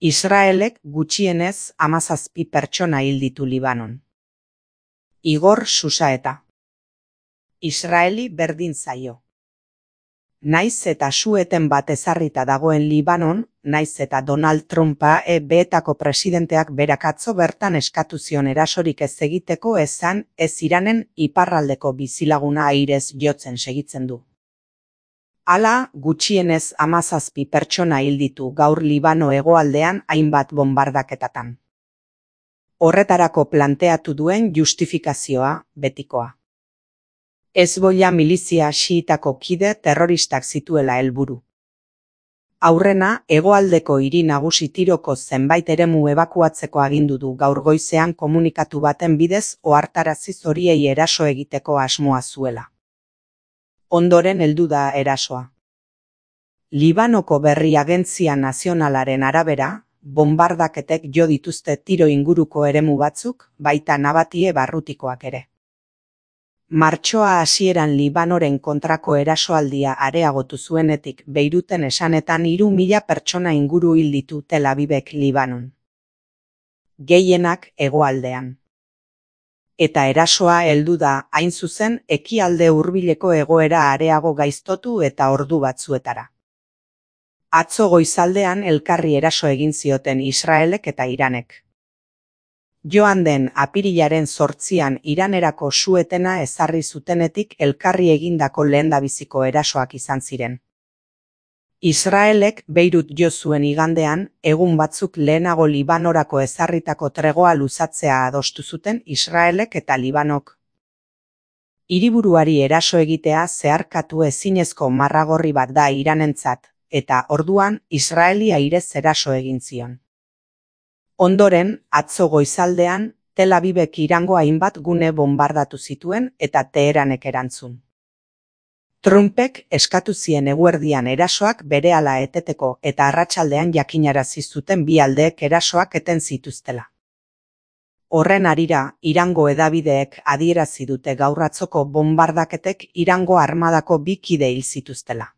Israelek gutxienez 17 pertsona hil ditu Libanon. Igor Susaeta. Israeli berdin zaio. Naiz eta su-eten bat ezarrita dagoen Libanon, naiz eta Donald Trumpa EB-etako presidenteak berak atzo bertan eskatu zion erasorik ez egiteko esan ez Iranen iparraldeko bizilaguna airez jotzen segitzen du. Hala, gutxienez 17 pertsona hil ditu gaur Libano hegoaldean hainbat bonbardaketatan. Horretarako planteatu duen justifikazioa betikoa. Hezbollah milizia xiitako kide terroristak zituela helburu. Aurrena, hegoaldeko hiri nagusi Tiroko zenbait eremu ebakuatzeko agindu du gaur goizean komunikatu baten bidez ohartarazi horiei eraso egiteko asmoa zuela. Ondoren heldu da erasoa. Libanoko berri agentzia nazionalaren arabera, bonbardaketek jo dituzte Tiro inguruko eremu batzuk, baita Nabatie barrutikoak ere. Martxoa hasieran Libanoren kontrako erasoaldia areagotu zuenetik Beiruten esanetan 3.000 pertsona inguru hil ditu Tel Avivek Libanon. Gehienak hegoaldean. Eta erasoa heldu da, hain zuzen, ekialde hurbileko egoera areago gaiztotu eta ordu batzuetara. Atzo goizaldean elkarri eraso egin zioten Israelek eta Iranek. Joan den apirilaren 8an Iranerako su-etena ezarri zutenetik elkarri egindako lehendabiziko erasoak izan ziren. Israelek Beirut jo zuen igandean, egun batzuk lehenago Libanorako ezarritako tregoa luzatzea adostu zuten Israelek eta Libanok. Hiriburuari eraso egitea zeharkatu ezinezko marragorri bat da Iranentzat, eta orduan Israeli airez eraso egin zion. Ondoren, atzo goizaldean, Tel Avivek Irango hainbat gune bonbardatu zituen eta Teheranek erantzun. Trumpek eskatu zien eguerdian erasoak berehala eteteko eta arratsaldean jakinarazi zuten bi aldeek erasoak eten zituztela. Horren harira, Irango hedabideek adierazi dute gaur atzoko bonbardaketek Irango armadako 2 kide hil zituztela.